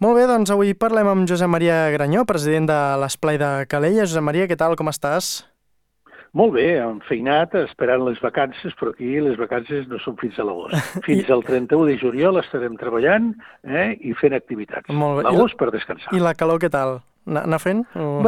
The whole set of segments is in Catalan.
Molt bé, doncs avui parlem amb Josep Maria Granyó, president de l'Esplai de Calella. Josep Maria, què tal, com estàs? Molt bé, enfeinat, esperant les vacances, però aquí les vacances no són fins a l'agost. I, Fins al 31 de juliol estarem treballant i fent activitats. molt bé. L'agost per descansar. I la calor, què tal? Anar fent? O...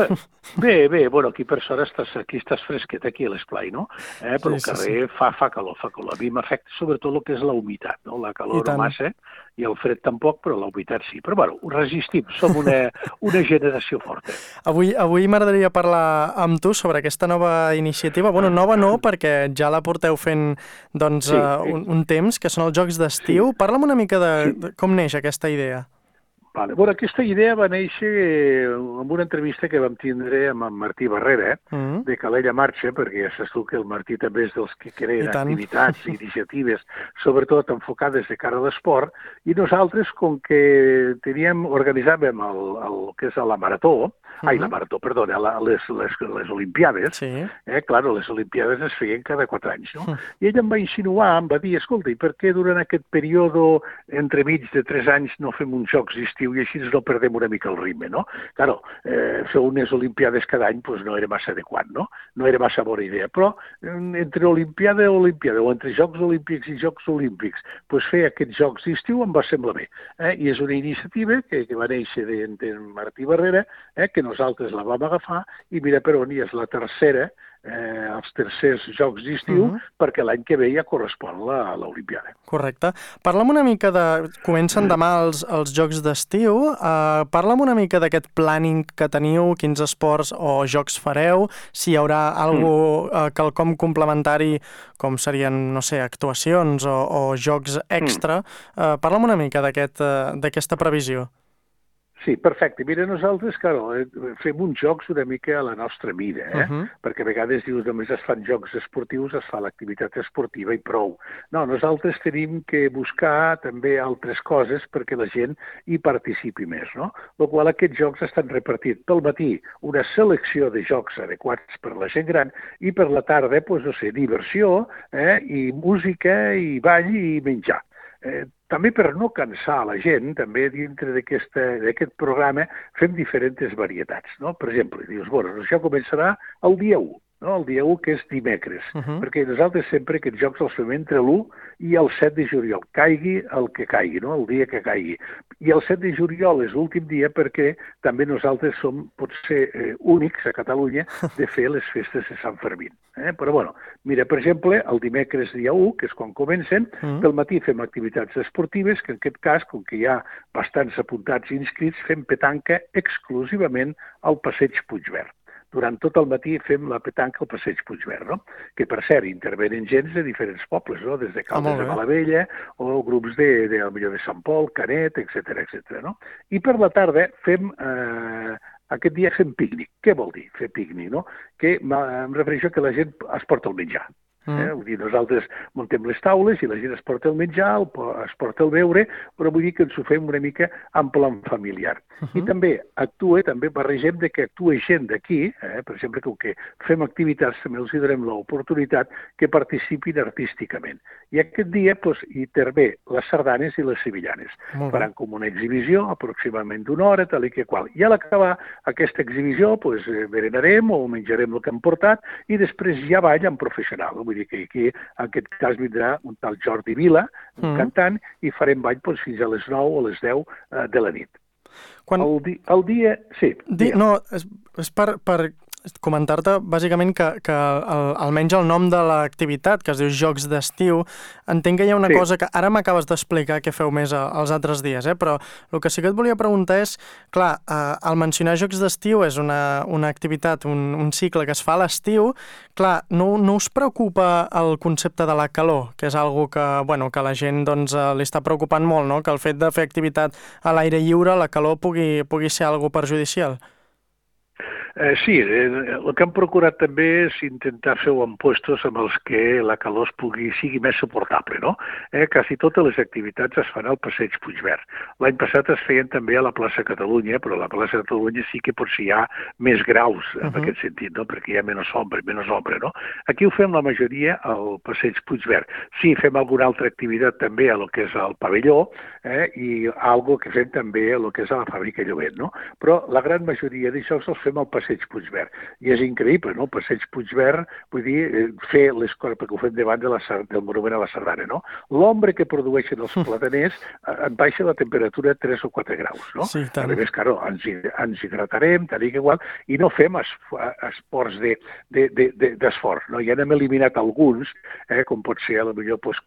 Bé, bueno, aquí per sort aquí estàs fresquet, aquí a l'esplai, no? Però al carrer fa calor. A mi m'afecta sobretot el que és la humitat, no? La calor no massa i el fred tampoc, però la humitat sí. Però bueno, ho resistim, som una generació forta. Avui m'agradaria parlar amb tu sobre aquesta nova iniciativa. Bueno, nova no, perquè ja la porteu fent doncs, un temps, que són els Jocs d'Estiu. Sí. Parla'm una mica de com neix aquesta idea. Vale. Bueno, aquesta idea va néixer amb una entrevista que vam tindre amb en Martí Barrera, de Calella Marxa, perquè ja saps tu que el Martí també és dels que creen activitats i iniciatives, sobretot enfocades de cara a l'esport, i nosaltres, com que organitzàvem el que és la marató, les Olimpiades, claro, les Olimpiades es feien cada 4 anys, no? I ell em va insinuar, em va dir, escolta, i per què durant aquest període entremig de 3 anys no fem uns jocs d'estiu i així no perdem una mica el ritme, no? Claro, fer unes Olimpiades cada any pues, no era massa adequat, no? No era massa bona idea, però entre Olimpiada i Olimpiada, o entre Jocs Olímpics i Jocs Olímpics, pues, fer aquests jocs d'estiu em va semblar bé. I és una iniciativa que va néixer de Martí Barrera, que nosaltres la vam agafar i mira per on és la tercera, els tercers Jocs d'Estiu, perquè l'any que ve ja correspon a l'Olimpiada. Correcte. Parla'm una mica Comencen demà els Jocs d'Estiu. Parla'm una mica d'aquest planning que teniu, quins esports o jocs fareu, si hi haurà quelcom complementari, com serien, no sé, actuacions o jocs extra. Parla'm una mica d'aquesta previsió. Sí, perfecte. Mira, nosaltres, fem uns jocs una mica a la nostra mida, perquè a vegades dius només es fan jocs esportius, es fa l'activitat esportiva i prou. No, nosaltres tenim que buscar també altres coses perquè la gent hi participi més, no? Per qual aquests jocs estan repartits pel matí, una selecció de jocs adequats per la gent gran, i per la tarda, doncs, no sé, diversió, i música, i ball, i menjar. També per no cansar la gent, també dintre d'aquest programa fem diferents varietats, no? Per exemple, dius, bueno, això començarà el dia 1, no? El dia 1 que és dimecres, perquè nosaltres sempre aquests jocs els fem entre l'1 i el 7 de juliol, caigui el que caigui, no? El dia que caigui. I el 7 de juliol és l'últim dia perquè també nosaltres som, potser, únics a Catalunya de fer les festes de Sant Fermín. Però, bueno, mira, per exemple, el dimecres dia 1, que és quan comencen, pel matí fem activitats esportives, que en aquest cas, com que hi ha bastants apuntats i inscrits, fem petanca exclusivament al Passeig Puigverd. Durant tot el matí fem la petanca al Passeig Puigverd, no? Que, per cert, intervenen gens de diferents pobles, no? Des de Caldes de Malavella o grups de Sant Pol, Canet, etc. No? I per la tarda aquest dia fem pícnic. Què vol dir fer pícnic, no? Que em refereixo que la gent es porta el menjar. Vull dir, nosaltres muntem les taules i la gent es porta el menjar, es porta el beure, però vull dir que ens ho fem una mica en plan familiar. I també barregem que actua gent d'aquí, per exemple, com que fem activitats, també els donem l'oportunitat que participin artísticament. I aquest dia hi intervé les sardanes i les sevillanes. Faran com una exhibició, aproximadament d'una hora, tal i que qual. I a l'acabar aquesta exhibició, berenarem o menjarem el que hem portat i després ja ballen professional. Vull dir que aquí, en aquest cas, vindrà un tal Jordi Vila, un cantant, i farem ball fins a les 9 o les 10 de la nit. El dia... Sí. No, és per comentar-te bàsicament que almenys el nom de l'activitat, que es diu Jocs d'Estiu, entenc que hi ha una cosa que ara m'acabes d'explicar que feu més els altres dies, però el que sí que et volia preguntar és, clar, al mencionar Jocs d'Estiu és una activitat, un cicle que es fa a l'estiu, clar, no us preocupa el concepte de la calor, que és algo que a la gent li està preocupant molt, no? Que el fet de fer activitat a l'aire lliure, la calor pugui ser algo perjudicial? Sí, el que hem procurat també és intentar fer-ho en puestos amb els que la calor sigui més suportable, no? Quasi totes les activitats es fan al Passeig Puigverd. L'any passat es feien també a la plaça Catalunya, però a la plaça Catalunya sí que potser hi ha més graus en aquest sentit, no? Perquè hi ha menys ombra, no? Aquí ho fem la majoria al Passeig Puigverd. Sí, fem alguna altra activitat també a lo que és el pavelló i algo que fem també a lo que és a la fàbrica Llobet, no? Però la gran majoria d'això els fem al Passeig Puigverd. I és increïble, no? El Passeig Puigverd, vull dir, fer les coses, perquè ho fem davant del monument a la Sardana, no? L'ombra que produeixen els plataners en baixa la temperatura a 3 o 4 graus, no? Sí, tant. A més, claro, ens hidratarem, tal i igual, i no fem esports d'esforç, no? Ja n'hem eliminat alguns, com pot ser, potser,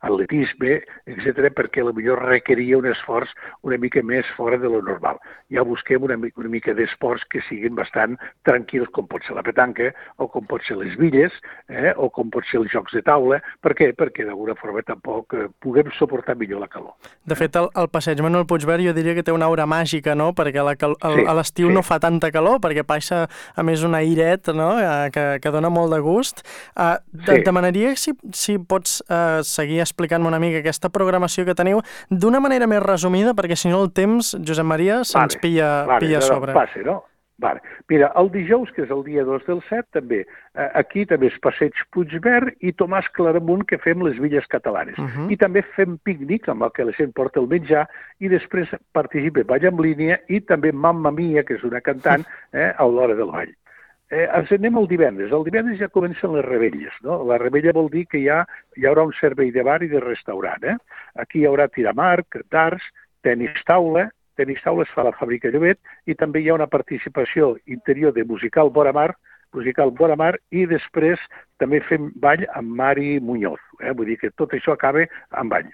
atletisme, etc., perquè potser requeria un esforç una mica més fora de lo normal. Ja busquem una mica d'esports que siguin bastant tranquils, com pot ser la petanca, o com pot ser les billes, o com pot ser els jocs de taula. Per què? Perquè d'alguna forma tampoc puguem suportar millor la calor. De fet, el passeig Manuel Puigverd jo diria que té una aura màgica, no? Perquè a l'estiu no fa tanta calor, perquè passa a més un airet, no? Que dona molt de gust. Demanaria si pots seguir explicant-me una mica aquesta programació que teniu d'una manera més resumida, perquè si no el temps, Josep Maria, se'ns pilla a sobre. Passa, no? Vale. Mira, el dijous, que és el dia 2 del 7, també, aquí també és Passeig Puigverd i Tomàs Claramunt, que fem les Villes Catalanes. I també fem pícnic, amb el que la gent porta el menjar, i després participa Ball en línia i també Mamma Mia, que és una cantant, a l'hora del ball. Ens anem el divendres. El divendres ja comencen les rebelles, no? La rebella vol dir que hi haurà un servei de bar i de restaurant. Aquí hi haurà tiramarc, darts, tenis taula es fa a la fàbrica Llobet i també hi ha una participació interior de musical Vora Mar, i després també fem ball amb Mari Muñoz. Vull dir que tot això acaba amb ball.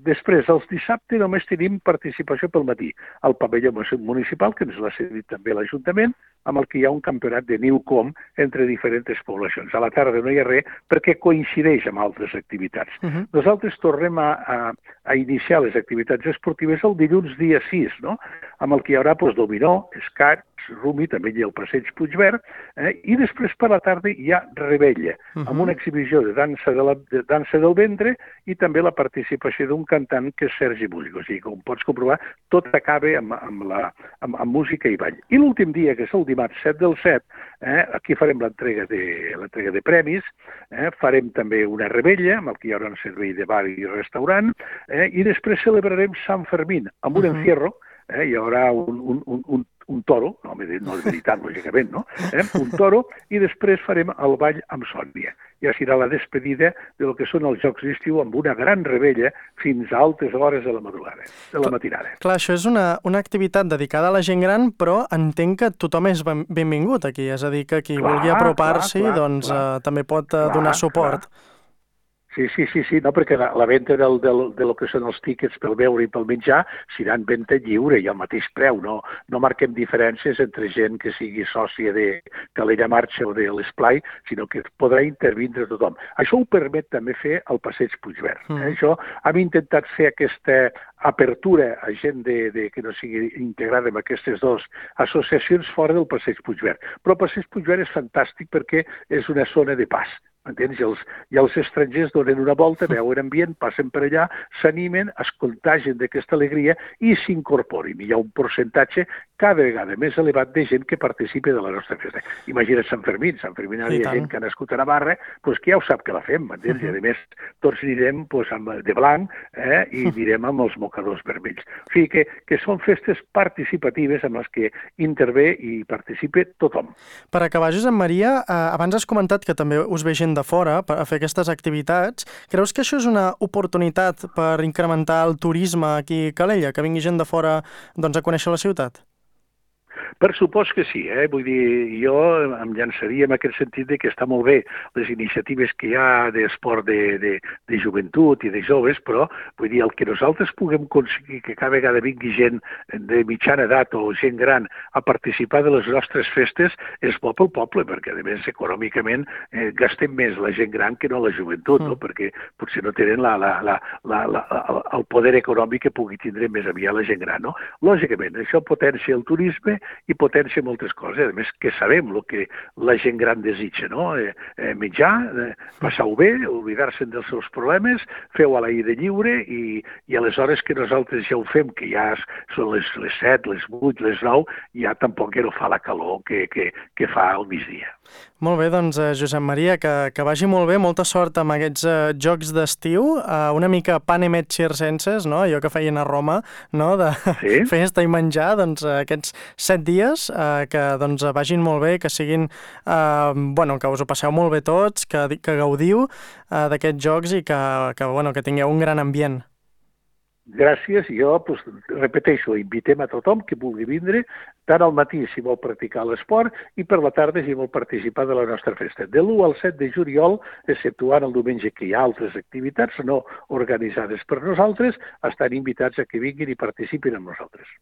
Després, els dissabtes només tenim participació pel matí al pavelló municipal, que ens l'ha cedit també l'Ajuntament, amb el que hi ha un campionat de Newcom entre diferents poblacions. A la tarda no hi ha res perquè coincideix amb altres activitats. Nosaltres tornem a iniciar les activitats esportives el dilluns dia 6, no? Amb el que hi haurà dominó, escacs, rumi, també hi ha el Passeig Puigverd, i després per la tarda hi ha rebella, amb una exhibició de dansa del ventre i també la participació d'un cantant que és Sergi Músic. O sigui, com pots comprovar, tot acaba amb música i ball. I l'últim dia, que és el dimarts 7 del 7, aquí farem l'entrega de premis, farem també una rebella, amb el que hi haurà un servei de bar i restaurant, i després celebrarem Sant Fermín amb un encierro. Hi haurà un toro, no és veritat, lògicament, no? Un toro, i després farem el ball amb Sònia. Ja serà la despedida de lo que són els Jocs d'Estiu amb una gran rebella fins a altes hores de la matinada. Clar, això és una activitat dedicada a la gent gran, però entenc que tothom és benvingut aquí, és a dir, que qui vulgui apropar-s'hi doncs també pot donar suport. Sí, no, perquè la venda de lo que són els tíquets pel beure i pel menjar serà en venda lliure i al mateix preu. No marquem diferències entre gent que sigui sòcia de Calella Marxa o de l'Esplai, sinó que podrà intervindre tothom. Això ho permet també fer el Passeig Puigverd. Això hem intentat fer aquesta apertura a gent que no sigui integrada en aquestes dues associacions fora del Passeig Puigverd. Però el Passeig Puigverd és fantàstic perquè és una zona de pas. Entens? I els estrangers donen una volta, veuen ambient, passen per allà, s'animen, es contagien d'aquesta alegria i s'incorporin. I hi ha un percentatge cada vegada més elevat de gent que participa de la nostra festa. Imagina't Sant Fermín. Sant Fermín hi ha gent que ha nascut a Navarra, que ja ho sap que la fem, m'entens? I a més tots anirem de blanc i anirem amb els mocadors vermells. O sigui que són festes participatives en les que intervé i participa tothom. Per acabar, Josep Maria, abans has comentat que també us ve gent de fora per fer aquestes activitats. Creus que això és una oportunitat per incrementar el turisme aquí a Calella, que vingui gent de fora a conèixer la ciutat? Per supost que sí, vull dir, jo em llançaria en aquest sentit que està molt bé les iniciatives que hi ha d'esport de joventut i de joves, però vull dir, el que nosaltres puguem aconseguir que cada vegada vingui gent de mitjana edat o gent gran a participar de les nostres festes és bo pel poble, perquè a més econòmicament gastem més la gent gran que no la joventut, no? Perquè potser no tenen el poder econòmic que pugui tindre més aviat la gent gran, no? Lògicament, això potencia el turisme i potencia moltes coses. A més, que sabem el que la gent gran desitja, no? Menjar, passar-ho bé, oblidar-se'n dels seus problemes, fer-ho a l'aire lliure i aleshores que nosaltres ja ho fem, que ja són les 7, les 8, les 9, ja tampoc no fa la calor que fa al migdia. Molt bé, doncs, Josep Maria, que vagi molt bé, molta sort amb aquests jocs d'estiu, una mica panem et circenses, no? Allò que feien a Roma, no? De festa i menjar, doncs, aquests 7 dies, que doncs, vagin molt bé, que siguin, que us ho passeu molt bé tots, que gaudiu d'aquests jocs i que tingueu un gran ambient. Gràcies. Jo, repeteixo, invitem a tothom que vulgui vindre, tant al matí si vol practicar l'esport i per la tarda si vol participar de la nostra festa. De l'1 al 7 de juliol, exceptuant el diumenge que hi ha altres activitats no organitzades per nosaltres, estan invitats a que vinguin i participin amb nosaltres.